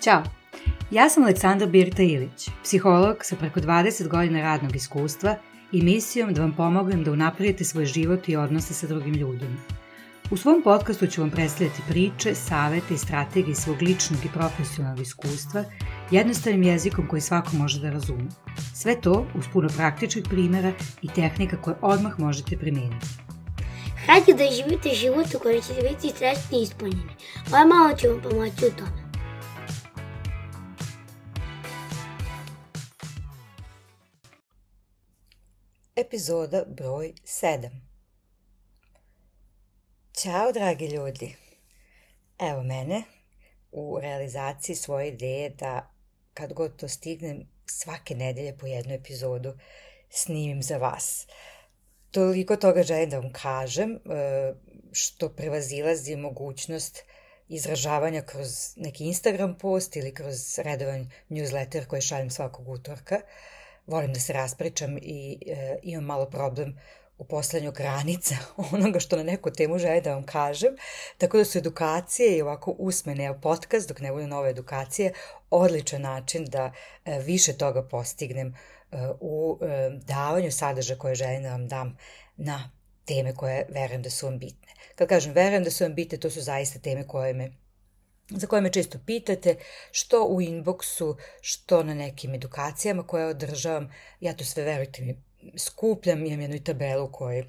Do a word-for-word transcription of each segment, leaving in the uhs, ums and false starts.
Ćao, ja sam Aleksandra Birta Ilić, psiholog sa preko dvadeset godina radnog iskustva i misijom da vam pomognem da unapredite svoj život i odnose sa drugim ljudima. U svom podcastu ću vam predstavljati priče, savete i strategije svog ličnog i profesionalnog iskustva jednostavnim jezikom koji svako može da razume. Sve to uz puno praktičnih primjera i tehnika koje odmah možete primijeniti. Hajde da živite život u kojem ćete biti srećni i ispunjeni. Ovo malo ću vam pomoći u tome. Epizoda broj sedam. Ćao dragi ljudi, evo mene u realizaciji svoje ideje da kad god to stignem svake nedelje po jednu epizodu snimim za vas. Toliko toga želim da vam kažem što prevazilazi mogućnost izražavanja kroz neki Instagram post ili kroz redovan newsletter koji šaljem svakog utorka. Volim da se raspričam i e, imam malo problem u postavljanju granica onoga što na neku temu želim da vam kažem, tako da su edukacije i ovako usmene podcast dok ne bude nove edukacije odličan način da e, više toga postignem e, u e, davanju sadržaja koje želim da vam dam na teme koje verujem da su vam bitne. Kad kažem verujem da su vam bitne, to su zaista teme koje me za koje me često pitate, što u inboxu, što na nekim edukacijama koje održavam. Ja to sve, verujte mi, skupljam, imam jednu tabelu u kojoj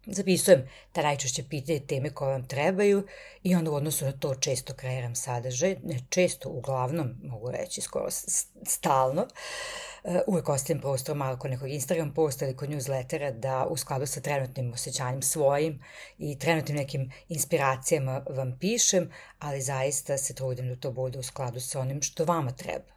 zapisujem ta najčešće pitanje teme koje vam trebaju i onda u odnosu na to često kreiram sadržaj, ne često, uglavnom, mogu reći, skoro stalno. Uvijek ostavim prostor malo kod nekog Instagram posta ili kod newslettera da u skladu sa trenutnim osjećanjem svojim i trenutnim nekim inspiracijama vam pišem, ali zaista se trudim da to bude u skladu sa onim što vama treba.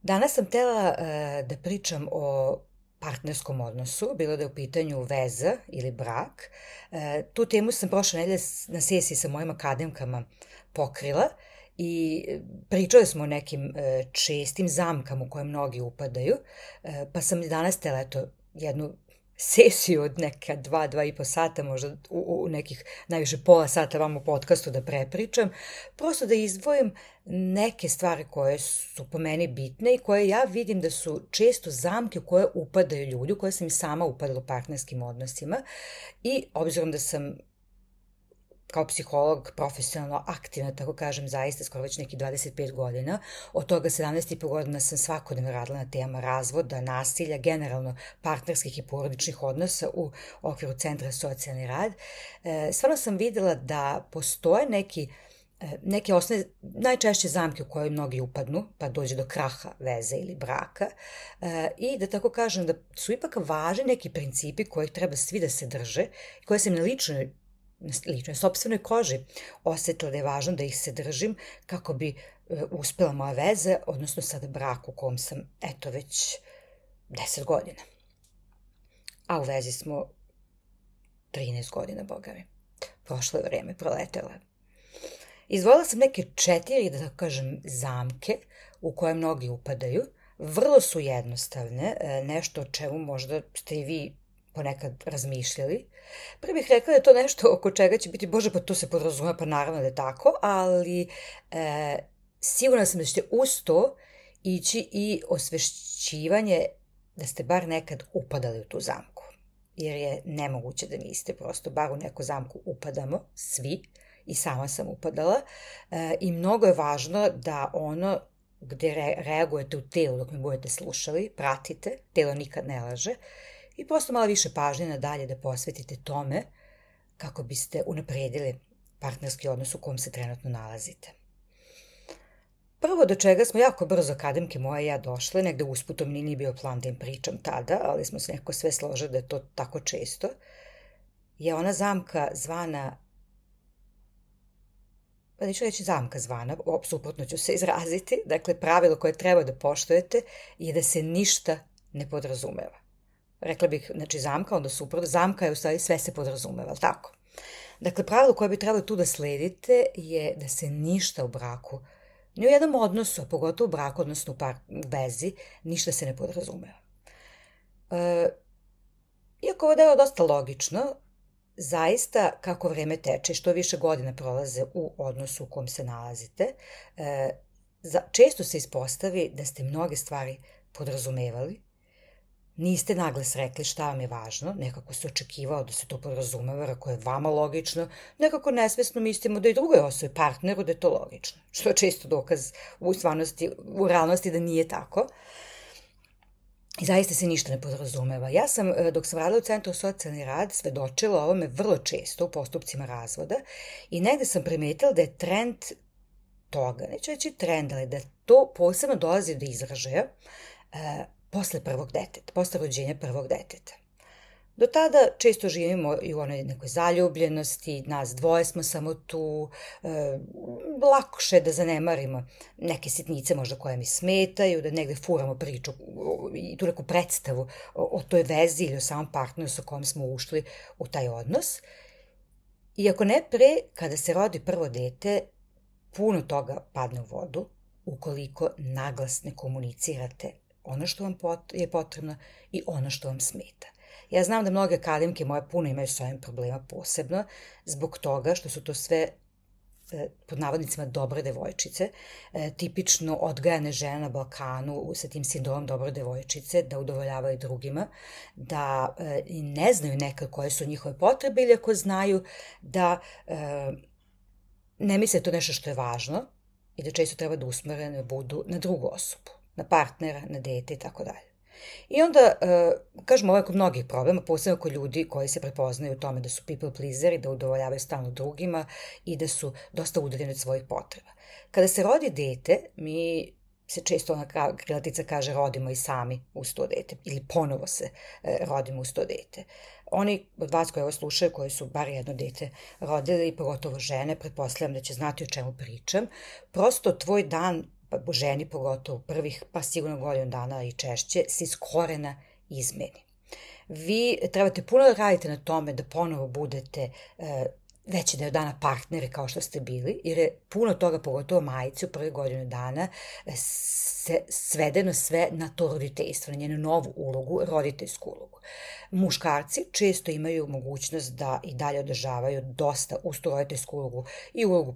Danas sam htjela uh, da pričam o partnerskom odnosu, bilo da je u pitanju veza ili brak. E, tu temu sam prošle nedelje na sesiji sa mojim akademkama pokrila i pričali smo o nekim e, čestim zamkama u koje mnogi upadaju, e, pa sam danas htjela eto, jednu sesiju od neka dva, dva i po sata, možda u, u nekih najviše pola sata vam u podcastu da prepričam, prosto da izdvojim neke stvari koje su po meni bitne i koje ja vidim da su često zamke u koje upadaju ljudi, u koje sam i sama upadala u partnerskim odnosima i obzirom da sam kao psiholog profesionalno aktivna, tako kažem, zaista skoro već neki dvadeset pet godina. Od toga sedamnaest i po godina sam svakodnevno radila na tema razvoda, nasilja, generalno partnerskih i porodičnih odnosa u okviru Centra socijalni rad. E, stvarno sam videla da postoje neki neke osnovne, najčešće zamke u koje mnogi upadnu, pa dođe do kraha veze ili braka e, i da tako kažem da su ipak važni neki principi kojih treba svi da se drže i koje sam na ličnoj ličnoj, sopstvenoj koži osjetila da je važno da ih se držim kako bi e, uspjela moja veze, odnosno sad brak u kom sam eto već deset godina. A u vezi smo trinaest godina, boga mi. Prošlo je vreme, proletelo je. Izvolila sam neke četiri, da tako kažem, zamke u koje mnogi upadaju. Vrlo su jednostavne, nešto o čemu možda ste i vi ponekad razmišljali. Prvo bih rekla da je to nešto oko čega će biti, bože, pa to se podrazume, pa naravno da je tako, ali e, sigurna sam da ćete uz to ići i osvešćivanje da ste bar nekad upadali u tu zamku. Jer je nemoguće da niste, prosto bar u neku zamku upadamo, svi, i sama sam upadala e, i mnogo je važno da ono gdje re, reagujete u telu dok me budete slušali, pratite, telo nikad ne laže i prosto malo više pažnje nadalje da posvetite tome kako biste unaprijedili partnerski odnos u kom se trenutno nalazite. Prvo do čega smo jako brzo akademke moje i ja došle, negde usputom nije bio plan da im pričam tada, ali smo se nekako sve složili da je to tako često, je ona zamka zvana pa neću reći zamka zvana, suprotno ću se izraziti, dakle pravilo koje treba da poštujete je da se ništa ne podrazumeva. Rekla bih, znači zamka, onda suprotno, zamka je u stvari sve se podrazumeva, ali tako? Dakle, pravilo koje bi trebalo tu da sledite je da se ništa u braku, ni u jednom odnosu, a pogotovo u braku, odnosno u par, vezi, ništa se ne podrazumeva. E, iako ovo delo dosta logično, zaista kako vreme teče, što više godina prolaze u odnosu u kom se nalazite, e, za, često se ispostavi da ste mnoge stvari podrazumevali, niste naglas rekli šta vam je važno, nekako se očekivao da se to podrazumeva, ako je vama logično, nekako nesvesno mislimo da i drugoj osobi, partneru, da je to logično, što je često dokaz u stvarnosti, u realnosti da nije tako. I zaista se ništa ne podrazumeva. Ja sam, dok sam radila u Centru socijalni rad, svedočila ovome vrlo često u postupcima razvoda i negde sam primetila da je trend toga, neću reći trend, ali da to posebno dolazi do izražaja e, posle prvog deteta, posle rođenja prvog deteta. Do tada često živimo i u onoj nekoj zaljubljenosti, nas dvoje smo samo tu, e, lakše da zanemarimo neke sitnice možda koje mi smetaju, da negde furamo priču i tu neku predstavu o, o toj vezi ili o samom partneru sa kojom smo ušli u taj odnos. Iako ne pre, kada se rodi prvo dete, puno toga padne u vodu ukoliko naglas ne komunicirate ono što vam je potrebno i ono što vam smeta. Ja znam da mnoge akademke moje puno imaju s ovim problema posebno, zbog toga što su to sve pod navodnicima dobre devojčice, tipično odgajane žene na Balkanu sa tim sindromom dobre devojčice, da udovoljavaju drugima, da ne znaju nekad koje su njihove potrebe ili ako znaju da ne misle to nešto što je važno i da često treba da usmerene budu na drugu osobu, na partnera, na dete i tako dalje. I onda, kažemo, ovo je kod mnogih problema, posebno kod ljudi koji se prepoznaju u tome da su people pleaseri, da udovoljavaju stalno drugima i da su dosta udaljeni od svojih potreba. Kada se rodi dete, mi se često ona krilatica kaže rodimo i sami uz to dete ili ponovo se rodimo uz to dete. Oni od vas koji ovo slušaju, koji su bar jedno dete rodili, pogotovo žene, pretpostavljam da će znati o čemu pričam, prosto tvoj dan, pa ženi pogotovo prvih, pa sigurno godinu dana i češće, se iz korena izmeni. Vi trebate puno da radite na tome da ponovo budete e, veći deo dana partneri kao što ste bili, jer je puno toga, pogotovo majici u prvih godinu dana, se svedeno sve na to roditeljstvo, na njenu novu ulogu, roditeljsku ulogu. Muškarci često imaju mogućnost da i dalje održavaju dosta uz tu roditeljsku ulogu i ulogu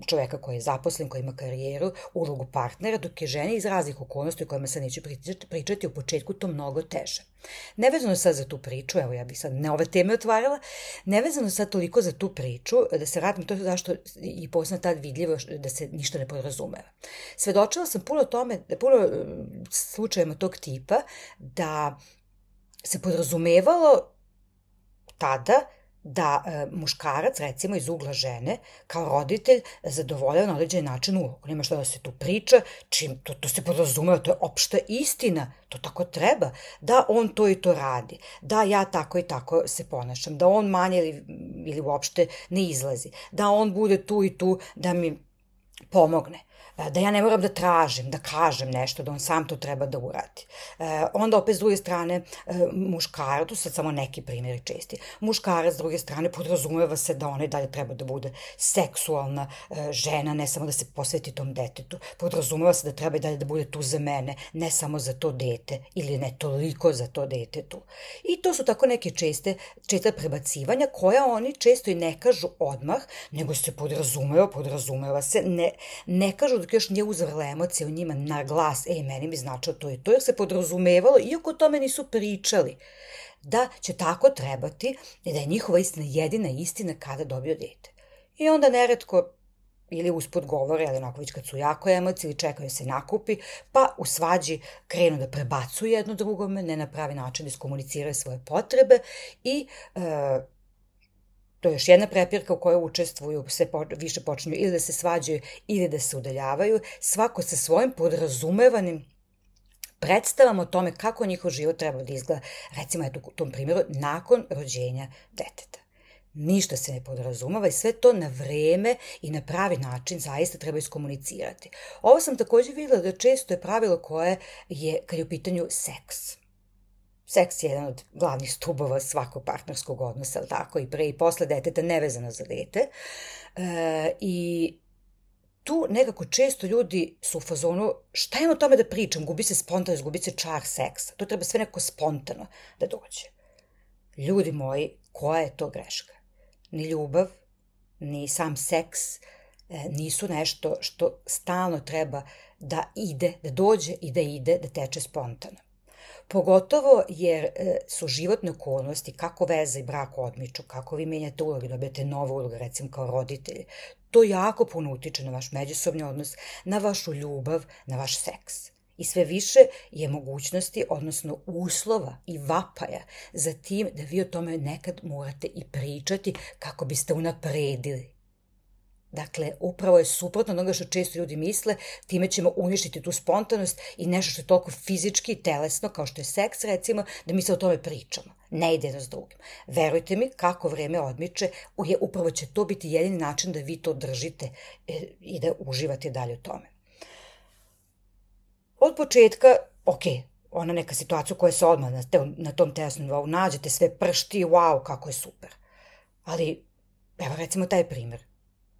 čoveka koji je zaposlen, koji ima karijeru, ulogu partnera, dok je ženi iz raznih okolnosti o kojima sad neću pričati u početku to mnogo teže. Nevezano sad za tu priču, evo ja bih sad ne ove teme otvarala, nevezano sad toliko za tu priču, da se radim to zašto i posebno tad vidljivo da se ništa ne podrazumeva. Svedočila sam puno tome, puno slučajima tog tipa da se podrazumevalo tada da e, muškarac, recimo iz ugla žene, kao roditelj, zadovoljava na određen način ulogu. Nema što da se tu priča, čim to, to se podrazumeva, to je opšta istina, to tako treba, da on to i to radi, da ja tako i tako se ponašam, da on manje ili, ili uopšte ne izlazi, da on bude tu i tu da mi pomogne, da ja ne moram da tražim, da kažem nešto, da on sam to treba da uradi. E, onda opet s druge strane e, muškarac, tu sad samo neki primjeri česti, muškarac s druge strane podrazumeva se da ona i dalje treba da bude seksualna e, žena, ne samo da se posveti tom detetu, podrazumeva se da treba i dalje da bude tu za mene, ne samo za to dete ili ne toliko za to dete tu. I to su tako neke česte, česta prebacivanja koja oni često i ne kažu odmah, nego se podrazumeva, podrazumeva se, ne, ne kažu dok još nije uzvrla emocija u njima na glas, ej, meni mi značilo to i to, jer se podrazumevalo, iako o tome nisu pričali, da će tako trebati i da je njihova istina jedina istina kada dobiju dete. I onda neretko ili usput govore, ali onako već kad su jako emocije ili čekaju se nakupi, pa u svađi krenu da prebacuju jedno drugome, ne na pravi način da iskomuniciraju svoje potrebe i e, to je još jedna prepirka u kojoj učestvuju, sve više počinju ili da se svađaju ili da se udaljavaju, svako sa svojim podrazumevanim predstavama o tome kako njihov život treba da izgleda, recimo eto u tom primjeru, nakon rođenja deteta. Ništa se ne podrazumeva i sve to na vreme i na pravi način zaista treba iskomunicirati. Ovo sam također vidjela da često je pravilo koje je, kad je u pitanju seks. Seks je jedan od glavnih stubova svakog partnerskog odnosa, ali tako, i pre i posle deteta, nevezano za dete. E, I tu nekako često ljudi su u fazonu, šta imam o tome da pričam, gubi se spontanost, gubi se čar seksa. To treba sve neko spontano da dođe. Ljudi moji, koja je to greška? ni ljubav, ni sam seks nisu nešto što stalno treba da ide, da dođe i da ide, da teče spontano. Pogotovo jer su životne okolnosti, kako veza i brak odmiču, kako vi menjate uloge, dobijete nove uloge, recimo kao roditelji, to jako puno utiče na vaš međusobni odnos, na vašu ljubav, na vaš seks. I sve više je mogućnosti, odnosno uslova i vapaja za tim da vi o tome nekad morate i pričati kako biste unapredili. Dakle, upravo je suprotno onoga što često ljudi misle, time ćemo uništiti tu spontanost i nešto što je toliko fizički i telesno, kao što je seks recimo, da mi se o tome pričamo. Ne ide jedno s drugim. Verujte mi, kako vreme odmiče, upravo će to biti jedini način da vi to držite i da uživate dalje u tome. Od početka, ok, ona neka situacija koja se odmah na, te, na tom telesnom nivou nađete, sve pršti, wow, kako je super. Ali, evo recimo taj primjer.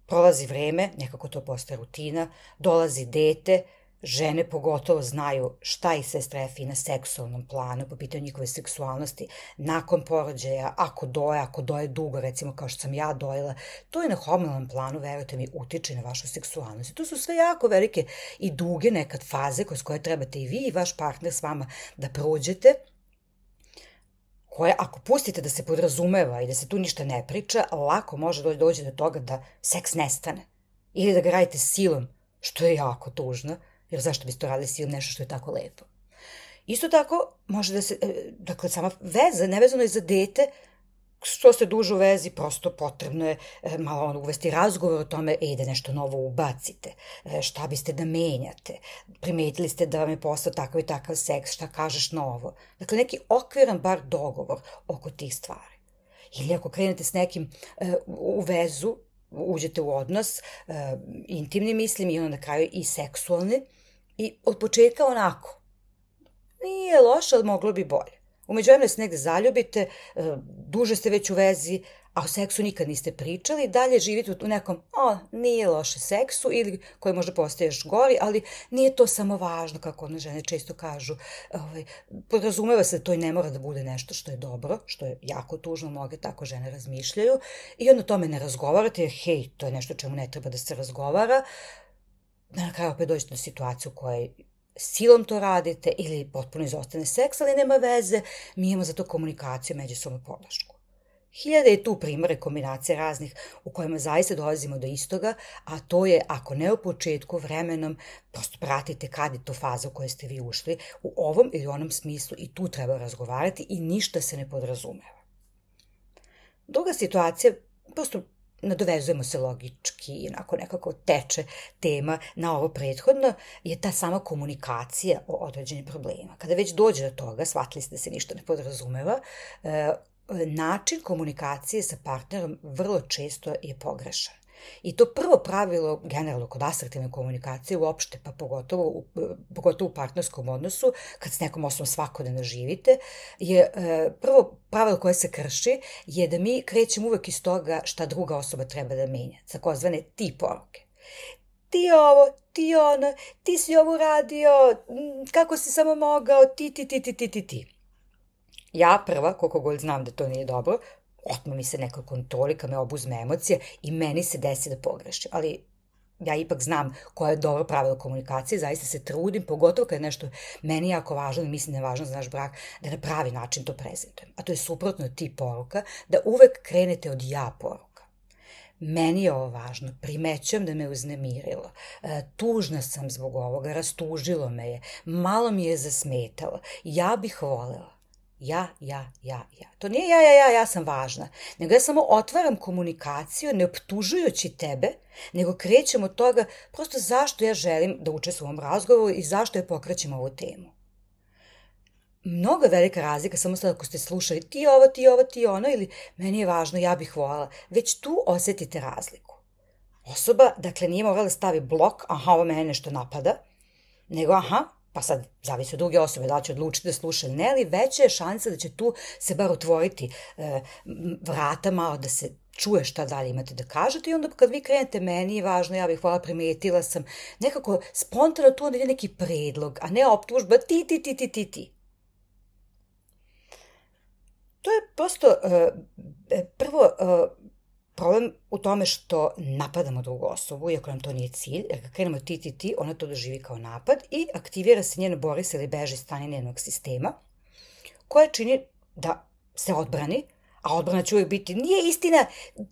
Prolazi vreme, nekako to postaje rutina, dolazi dete, žene pogotovo znaju šta ih sve strefi na seksualnom planu, po pitanju njihove seksualnosti, nakon porođaja, ako doje, ako doje dugo, recimo kao što sam ja dojela, to je na hormonalnom planu, verujte mi, utiče na vašu seksualnost. To su sve jako velike i duge nekad faze kroz koje trebate i vi i vaš partner s vama da prođete, koje ako pustite da se podrazumeva i da se tu ništa ne priča, lako može doći do toga da seks nestane. Ili da ga radite silom, što je jako tužno, jer zašto biste to radili silom nešto što je tako lepo. Isto tako, može da se, dakle, sama veza, nevezano je za dete, što ste duže u vezi, prosto potrebno je malo ono, uvesti razgovor o tome, ej, da nešto novo ubacite, šta biste da menjate, primetili ste da vam je postao takav i takav seks, šta kažeš novo. Dakle, neki okviran bar dogovor oko tih stvari. Ili ako krenete s nekim u vezu, uđete u odnos, intimni mislim i onda na kraju i seksualni, i od početka onako, nije loše, ali moglo bi bolje. Umeđu vremenu se negde zaljubite, duže ste već u vezi, a o seksu nikad niste pričali, dalje živite u nekom, o, nije loše seksu, ili koji možda postaje još gori, ali nije to samo važno, kako one žene često kažu. Ovaj, podrazumeva se da to i ne mora da bude nešto što je dobro, što je jako tužno, mnoge tako žene razmišljaju, i onda o tome ne razgovarate, jer hej, to je nešto čemu ne treba da se razgovara, da na kraju opet dođete do situaciju u kojoj silom to radite ili potpuno izostane seks, ali nema veze, mi imamo za to komunikaciju, međusobnu podršku. Hiljade je tu primjera kombinacije raznih u kojima zaista dolazimo do istoga, a to je, ako ne u početku, vremenom, prosto pratite kad je to faza u kojoj ste vi ušli, u ovom ili onom smislu i tu treba razgovarati i ništa se ne podrazumeva. Druga situacija, prosto nadovezujemo se logički i onako nekako teče tema na ovo prethodno, je ta sama komunikacija o određenim problemima. Kada već dođe do toga, shvatili ste da se ništa ne podrazumeva, način komunikacije sa partnerom vrlo često je pogrešan. I to prvo pravilo, generalno kod asertivne komunikacije uopšte, pa pogotovo, pogotovo u partnerskom odnosu, kad s nekom osobom svakodnevno živite, je prvo pravilo koje se krši je da mi krećemo uvek iz toga šta druga osoba treba da menja, takozvane ti poruke. Ti ovo, ti ono, ti si ovo radio, kako si samo mogao, ti, ti, ti, ti, ti, ti, ti. Ja prva, koliko god znam da to nije dobro, otme mi se neka kontrolika, me obuzme emocije i meni se desi da pogrešim. Ali ja ipak znam koje je dobro pravilo komunikacije, zaista se trudim, pogotovo kad je nešto meni jako važno i mislim da je važno za naš brak, da na pravi način to prezentujem. A to je suprotno ti poruka, da uvek krenete od ja poruka. Meni je ovo važno, primećujem da me uznemirilo, tužna sam zbog ovoga, rastužilo me je, malo mi je zasmetalo, ja bih volela. Ja, ja, ja, ja. To nije ja, ja, ja, ja sam važna. Nego ja samo otvaram komunikaciju ne optužujući tebe, nego krećem od toga prosto zašto ja želim da učestvujem u ovom razgovoru i zašto ja pokrećem ovu temu. Mnogo velika razlika, samo sad ako ste slušali ti ovo, ti ovo, ti ono, ili meni je važno, ja bih voljela, već tu osetite razliku. Osoba, dakle, nije morala stavi blok, aha, ovo mene nešto napada, nego aha, pa sad zavisi od druge osobe da li će odlučiti da sluša ili ne, ali veća je šansa da će tu se bar otvoriti e, vrata malo da se čuje šta dalje imate da kažete i onda kad vi krenete meni je važno, ja bih voljela, primetila sam, nekako spontano tu onda ide neki predlog, a ne optužba ti, ti, ti, ti, ti, ti. To je prosto e, prvo e, problem u tome što napadamo drugu osobu, iako nam to nije cilj, jer kad krenemo ti, ti, ti, ona to doživi kao napad i aktivira se njeno bori se ili beži stanje njenog sistema, koja čini da se odbrani, a odbrana će uvijek biti, nije istina,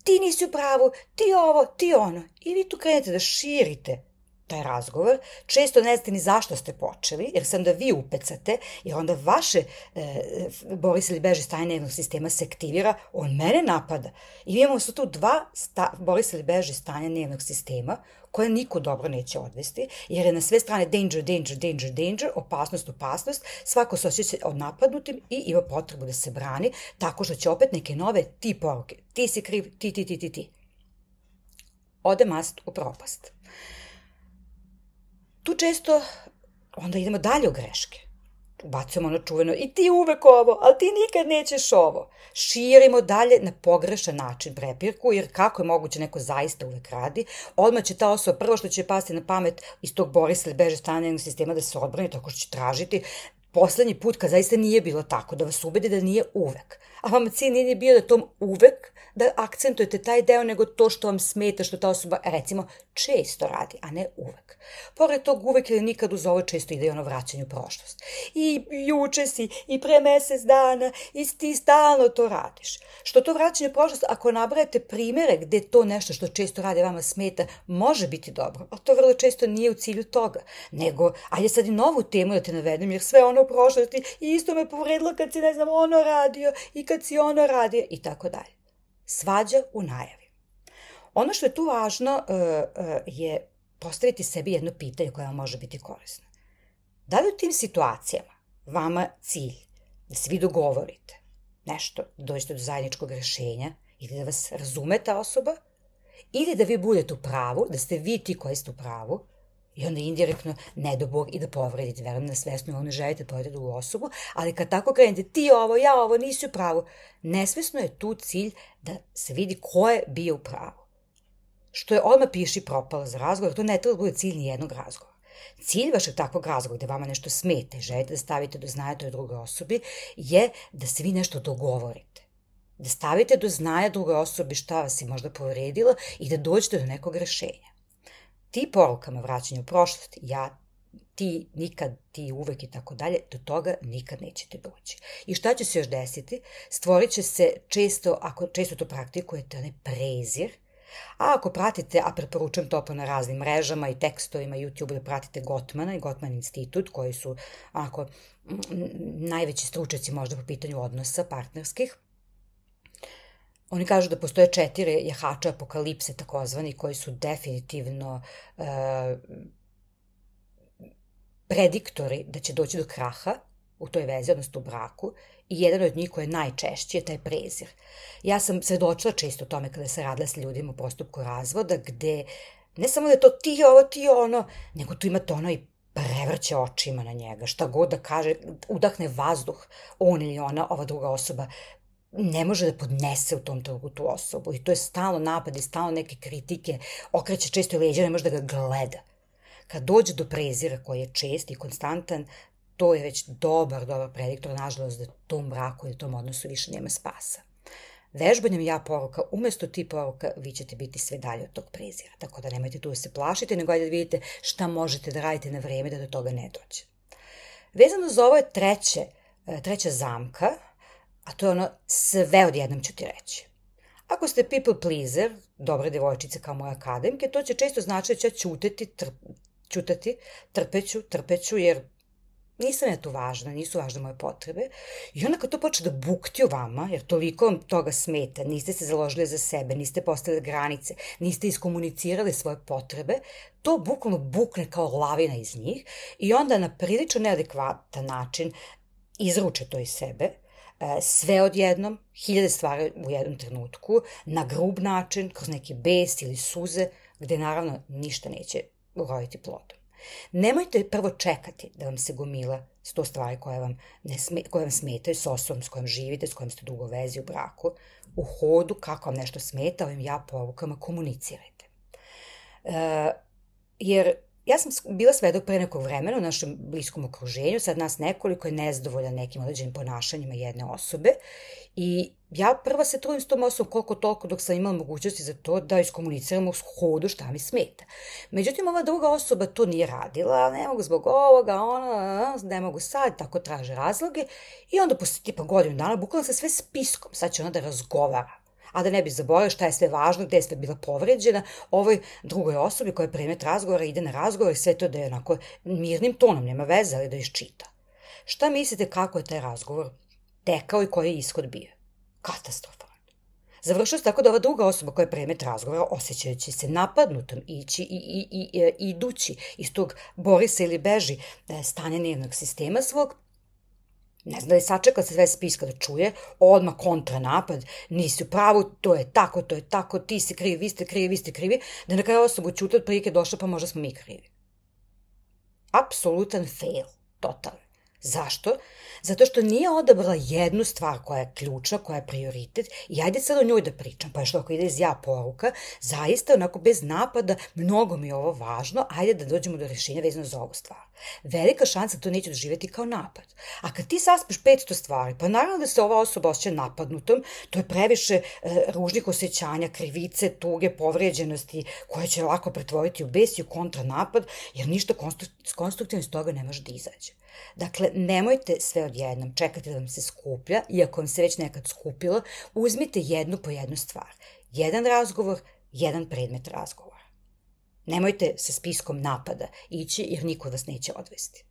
ti nisi u pravu, ti ovo, ti ono. I vi tu krenete da širite taj razgovor, često ne znate ni zašto ste počeli, jer sam da vi upecate, jer onda vaše e, bori se ili beži stanje nervnog sistema se aktivira, on mene napada. I imamo su tu dva sta, bori se ili beži stanja nervnog sistema, koje niko dobro neće odvesti, jer je na sve strane danger, danger, danger, danger, opasnost, opasnost, svako se osjeća odnapadnutim i ima potrebu da se brani, tako što će opet neke nove ti poruke, ti si kriv, ti, ti, ti, ti, ti. Ode mast u propast. Tu često onda idemo dalje u greške. Ubacujemo ono čuveno i ti uvek ovo, ali ti nikad nećeš ovo. Širimo dalje na pogrešan način prepirku, jer kako je moguće neko zaista uvek radi, odmah će ta osoba prvo što će pasti na pamet iz tog bori se ili beže stanja nervnog sistema da se odbrani, tako što će tražiti poslednji put kad zaista nije bilo tako, da vas ubedi da nije uvek. A vama cilj nije bio da tom uvek da akcentujete taj deo, nego to što vam smeta, što ta osoba, recimo, često radi, a ne uvek. Pored tog uvek ili nikad uz ovo često ide ono vraćanje u prošlost. I juče si, i pre mesec dana, i ti stalno to radiš. Što to vraćanje u prošlost, ako nabrajate primere gde to nešto što često radi vama smeta, može biti dobro, ali to vrlo često nije u cilju toga. Nego, ajde sad i novu temu da te navedem, jer sve ono u prošlosti i isto me povredilo kad si, ne znam, ono radio i kad si ono radio i tako dalje. Svađa u najavi. Ono što je tu važno uh, uh, je postaviti sebi jedno pitanje koje vam može biti korisno. Da li u tim situacijama vama cilj da se vi dogovorite nešto, da dođete do zajedničkog rešenja ili da vas razume ta osoba, ili da vi budete u pravu, da ste vi ti koji ste u pravu, i onda indirektno, ne do Bog, i da povredite, verujem na svesno, ovo ne želite da povredite drugu osobu, ali kad tako krenete, ti ovo, ja ovo, nisi u pravu, nesvesno je tu cilj da se vidi ko je bio u pravu. Što je odmah piši propalo za razgovor, to ne treba da bude cilj nijednog razgovora. Cilj vašeg takvog razgovora, gde vama nešto smete i želite da stavite do znaja toj drugoj osobi, je da se vi nešto dogovorite. Da stavite do znaja drugoj osobi šta vas je možda povredilo i da dođete do nekog rešenja. Ti porukama vraćanja u prošlost, ja, ti, nikad, ti, uvek i tako dalje, do toga nikad nećete doći. I šta će se još desiti? Stvorit će se često, ako često to praktikujete, onaj prezir, a ako pratite, a preporučujem to na raznim mrežama i tekstovima, YouTube, da pratite Gottmana i Gottman institut, koji su onako najveći stručnjaci možda po pitanju odnosa partnerskih. Oni kažu da postoje četiri jahača apokalipse, takozvani, koji su definitivno uh, prediktori da će doći do kraha u toj vezi, odnosno u braku, i jedan od njih koji je najčešći je taj prezir. Ja sam svedočila često o tome kada se radila sa ljudima u postupku razvoda, gde ne samo da je to ti ovo, ti ono, nego tu imate ono i prevrće očima na njega, šta god da kaže, udahne vazduh, on ili ona, ova druga osoba, ne može da podnese u tom trenutku tu osobu. I to je stalno napad i stalno neke kritike, okreće često i leđa, ne može da ga gleda. Kad dođe do prezira koji je čest i konstantan, to je već dobar, dobar prediktor, nažalost, da tom braku i tom odnosu više nema spasa. Vežbanjem ja poruka, umesto ti poruka, vi ćete biti sve dalje od tog prezira. Tako da nemojte tu da se plašite, nego ajde da vidite šta možete da radite na vreme da do toga ne dođe. Vezano za ovo je treće, treća zamka, a to je ono, sve odjednom ću ti reći. Ako ste people pleaser, dobre devojčice kao moje akademke, to će često znači da ću ćutati, trp, ćutati, trpeću, trpeću, jer nisam ja tu važna, nisu važne moje potrebe. I onda kad to počne da bukti u vama, jer toliko vam toga smeta, niste se založili za sebe, niste postavili granice, niste iskomunicirali svoje potrebe, to bukvalno bukne kao lavina iz njih i onda na prilično neadekvatan način izruče to iz sebe, sve odjednom, hiljade stvari u jednom trenutku, na grub način, kroz neki bes ili suze, gde naravno ništa neće uroditi plodom. Nemojte prvo čekati da vam se gomila sto stvari koje vam, ne sme, koje vam smetaju s osobom s kojom živite, s kojom ste dugo vezi u braku. U hodu, kako vam nešto smeta, ovim ja porukama komunicirajte. E, jer ja sam bila svedok pre nekog vremena u našem bliskom okruženju, sad nas nekoliko je nezadovoljan nekim određenim ponašanjima jedne osobe I ja prva se trudim s tom osobom koliko toliko dok sam imala mogućnosti za to da iskomuniciramo u hodu šta mi smeta. Međutim, ova druga osoba to nije radila, ne mogu zbog ovoga, ona, ne mogu sad, tako traže razloge i onda posle tipa godinu dana bukvalno sa sve spiskom, sad će ona da razgovara. A da ne bi zaboravila šta je sve važno, gde je sve bila povređena, ovoj drugoj osobi koja je predmet razgovora ide na razgovor i sve to da je onako mirnim tonom, nema veze, ali da iščita. Šta mislite kako je taj razgovor tekao i koji je ishod bio? Katastrofalan. Završio se tako da ova druga osoba koja je predmet razgovora, osjećajući se napadnutom, ići i, i, i, i idući iz tog bori se ili beži stanja nervnog sistema svog, ne znam da je sačekala se sve spiska da čuje, odmah kontranapad, nisi u pravu, to je tako, to je tako, ti si krivi, vi ste krivi, vi ste krivi, da na kraju osobu ćuti od prilike došla pa možda smo mi krivi. Apsolutan fail, totalno. Zašto? Zato što nije odabrala jednu stvar koja je ključna, koja je prioritet i ajde sad o njoj da pričam, pa što ako ide iz ja poruka, zaista onako bez napada, mnogo mi je ovo važno, ajde da dođemo do rešenja vezano za ovu stvar. Velika šansa to neće doživjeti kao napad. A kad ti saspeš petsto stvari, pa naravno da se ova osoba osjeća napadnutom, to je previše e, ružnih osjećanja, krivice, tuge, povrijeđenosti, koje će lako pretvoriti u bes i u kontranapad, jer ništa konstruktivno iz toga ne može da izađe. Dakle, nemojte sve odjednom, čekajte da vam se skuplja, iako vam se već nekad skupilo, uzmite jednu po jednu stvar. Jedan razgovor, jedan predmet razgovora. Nemojte sa spiskom napada ići jer niko vas neće odvesti.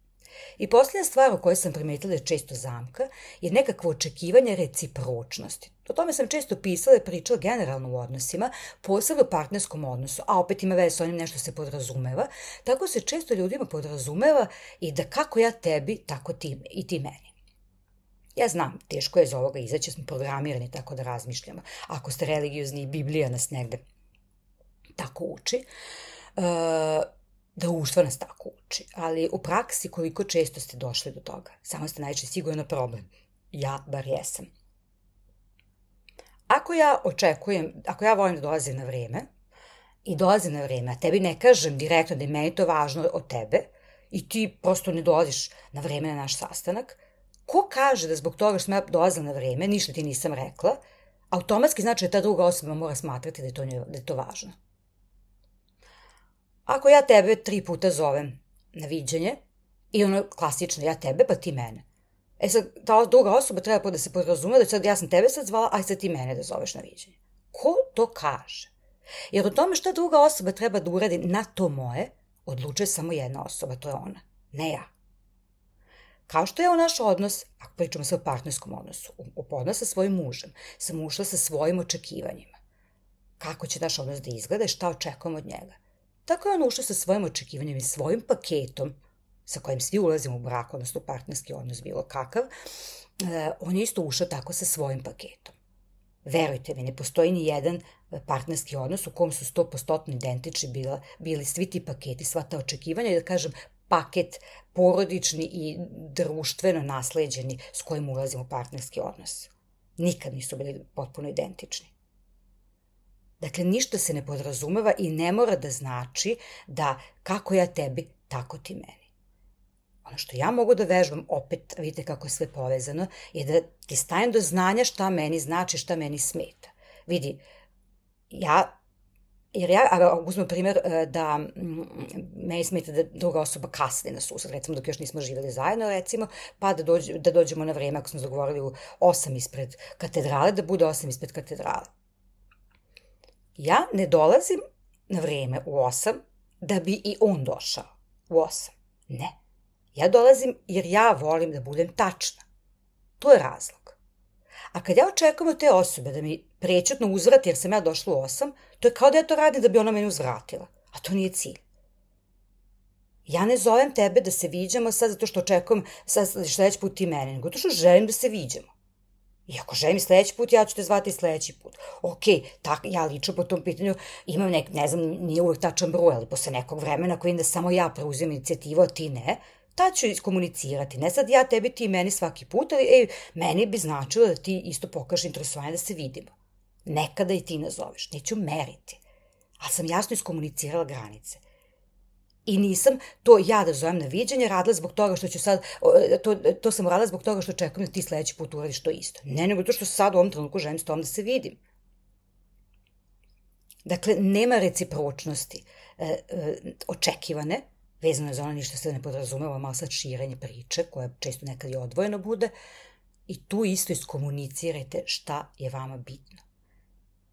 I posljednja stvar o kojoj sam primetila je često zamka je nekakvo očekivanje recipročnosti. O tome sam često pisala i pričala generalno u odnosima, posebno u partnerskom odnosu, a opet ima veze s onim nešto se podrazumeva, tako se često ljudima podrazumeva i da kako ja tebi, tako ti i ti meni. Ja znam, teško je iz ovoga izaći, smo programirani tako da razmišljamo. Ako ste religiozni, Biblija nas negde tako uči. Uh, Društvo nas tako uči, ali u praksi koliko često ste došli do toga? Samo ste najčešće sigurno problem. Ja bar jesam. Ako ja očekujem, ako ja volim da dolazim na vreme i dolazim na vreme, a tebi ne kažem direktno da je meni to važno od tebe i ti prosto ne dolaziš na vreme na naš sastanak, ko kaže da zbog toga što sam ja dolazila na vreme, ništa ti nisam rekla, automatski znači da ta druga osoba mora smatrati da je to, da je to važno. Ako ja tebe tri puta zovem na viđenje i ono klasično ja tebe pa ti mene. E sad, ta druga osoba treba da se podrazume da sad ja sam tebe sad zvala, aj sad ti mene da zoveš na viđenje. Ko to kaže? Jer o tome šta druga osoba treba da uradi na to moje, odlučuje samo jedna osoba, to je ona, ne ja. Kao što je u naš odnos, ako pričamo se o partnerskom odnosu, u odnos sa svojim mužem, sam ušla sa svojim očekivanjima. Kako će naš odnos da izgleda i šta očekujem od njega. Tako je on ušao sa svojim očekivanjem i svojim paketom, sa kojim svi ulazimo u brak, odnosno partnerski odnos bilo kakav, on je isto ušao tako sa svojim paketom. Verujte mi, ne postoji ni jedan partnerski odnos u kom su sto posto identični bila, bili svi ti paketi, sva ta očekivanja i da kažem paket porodični i društveno nasleđeni s kojim ulazimo u partnerski odnos. Nikad nisu bili potpuno identični. Dakle, ništa se ne podrazumeva i ne mora da znači da kako ja tebi, tako ti meni. Ono što ja mogu da vežbam, opet vidite kako je sve povezano, je da ti stavim do znanja šta meni znači, šta meni smeta. Vidi, ja, jer ja, uzmem primjer da meni smeta da druga osoba kasni na susret, recimo dok još nismo živjeli zajedno, recimo, pa da, dođe, da dođemo na vreme, ako smo zagovorili u osam ispred katedrale, da bude osam ispred katedrale. Ja ne dolazim na vreme u osam da bi i on došao u osam. Ne. Ja dolazim jer ja volim da budem tačna. To je razlog. A kad ja očekujem od te osobe da mi prečutno uzvrati jer sam ja došla u osam, to je kao da ja to radim da bi ona meni uzvratila. A to nije cilj. Ja ne zovem tebe da se viđamo sad zato što očekujem sad sledeći put ti mene, nego to što želim da se viđamo. I ako želim sledeći put, ja ću te zvati sledeći put. Ok, tak, ja lično po tom pitanju imam nek, ne znam, nije uvek tačan broj, ali posle nekog vremena koji da samo ja preuzim inicijativu, a ti ne, tad ću iskomunicirati. Ne sad ja tebi, ti meni svaki put, ali ej, meni bi značilo da ti isto pokažeš interesovanje da se vidimo. Nekada i ti nazoveš, neću meriti. Ali sam jasno iskomunicirala granice. I nisam to ja da zovem na viđenje, radila zbog toga što ću sad, to, to sam radila zbog toga što očekujem da ti sledeći put uradiš to isto. Ne, nego to što sad u ovom trenutku želim s tom da se vidim. Dakle, nema recipročnosti e, e, očekivane, vezano je za ono ništa se ne podrazumeva, malo sad širenje priče, koja često nekad i odvojeno bude, i tu isto iskomunicirajte šta je vama bitno.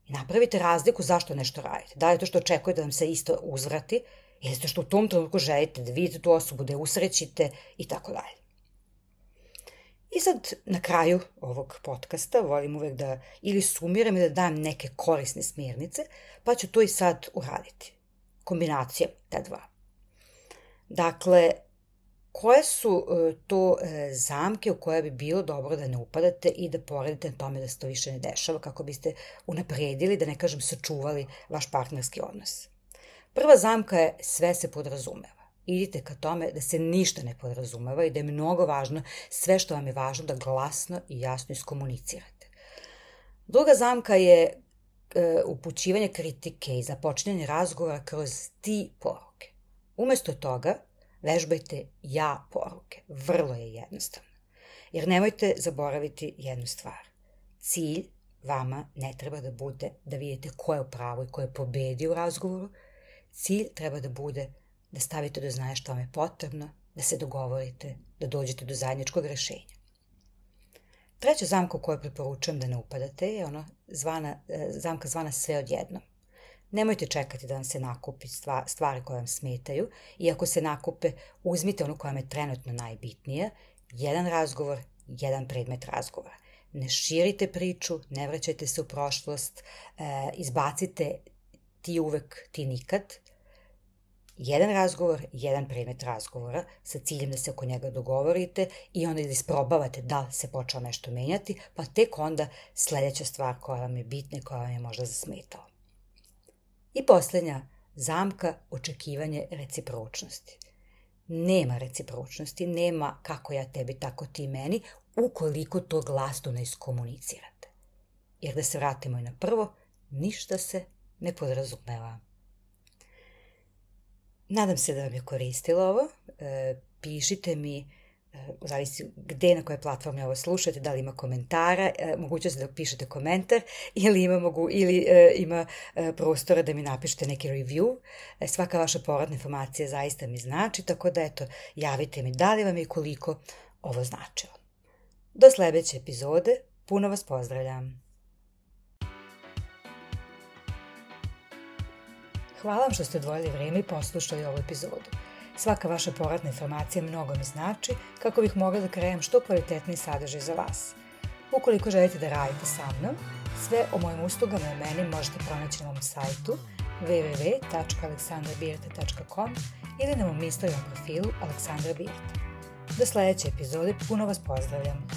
I napravite razliku zašto nešto radite. Da li to što očekujete da vam se isto uzvrati, ili to što u tom trenutku želite da vidite tu osobu, da je usrećite i tako dalje. I sad na kraju ovog podcasta volim uvek da ili sumiram i da dam neke korisne smjernice, pa ću to i sad uraditi. Kombinacija ta dva. Dakle, koje su to zamke u koje bi bilo dobro da ne upadate i da poradite na tome da se to više ne dešava, kako biste unapredili, da ne kažem sačuvali vaš partnerski odnos. Prva zamka je sve se podrazumeva. Idite ka tome da se ništa ne podrazumeva i da je mnogo važno sve što vam je važno da glasno i jasno iskomunicirate. Druga zamka je e, upućivanje kritike i započinjanje razgovora kroz ti poruke. Umesto toga, vežbajte ja poruke. Vrlo je jednostavno. Jer nemojte zaboraviti jednu stvar. Cilj vama ne treba da bude da vidite ko je u pravu i ko je pobedio u razgovoru. Cilj treba da bude da stavite do znanja što vam je potrebno, da se dogovorite, da dođete do zajedničkog rešenja. Treća zamka u kojoj preporučujem da ne upadate je ono zvana, zamka zvana sve odjednom. Nemojte čekati da vam se nakupi stvari koje vam smetaju i ako se nakupe, uzmite ono koja vam je trenutno najbitnija, jedan razgovor, jedan predmet razgovora. Ne širite priču, ne vraćajte se u prošlost, izbacite ti uvek, ti nikad. Jedan razgovor, jedan predmet razgovora sa ciljem da se oko njega dogovorite i onda da isprobavate da se počeo nešto menjati, pa tek onda sledeća stvar koja vam je bitna i koja vam je možda zasmetala. I poslednja zamka, očekivanje recipročnosti. Nema recipročnosti, nema kako ja tebi, tako ti meni, ukoliko to glasno ne iskomunicirate. Jer da se vratimo i na prvo, ništa se ne podrazumeva. Nadam se da vam je koristilo ovo. E, pišite mi, e, zavisi gde, na kojoj platformi ovo slušate, da li ima komentara, e, mogućnost da pišete komentar ili ima, mogu, ili, e, ima e, prostora da mi napišete neki review. E, svaka vaša povratna informacija zaista mi znači, tako da eto, javite mi da li vam je i koliko ovo značilo. Do sledeće epizode, puno vas pozdravljam. Hvala vam što ste odvojili vreme i poslušali ovu epizodu. Svaka vaša povratna informacija mnogo mi znači kako bih mogla da kreiram što kvalitetniji sadržaj za vas. Ukoliko želite da radite sa mnom, sve o mojim uslugama i meni možete pronaći na mom sajtu w w w tačka aleksandra birta tačka com ili na mom Instagram profilu Aleksandra Birta. Do sledeće epizode, puno vas pozdravljam.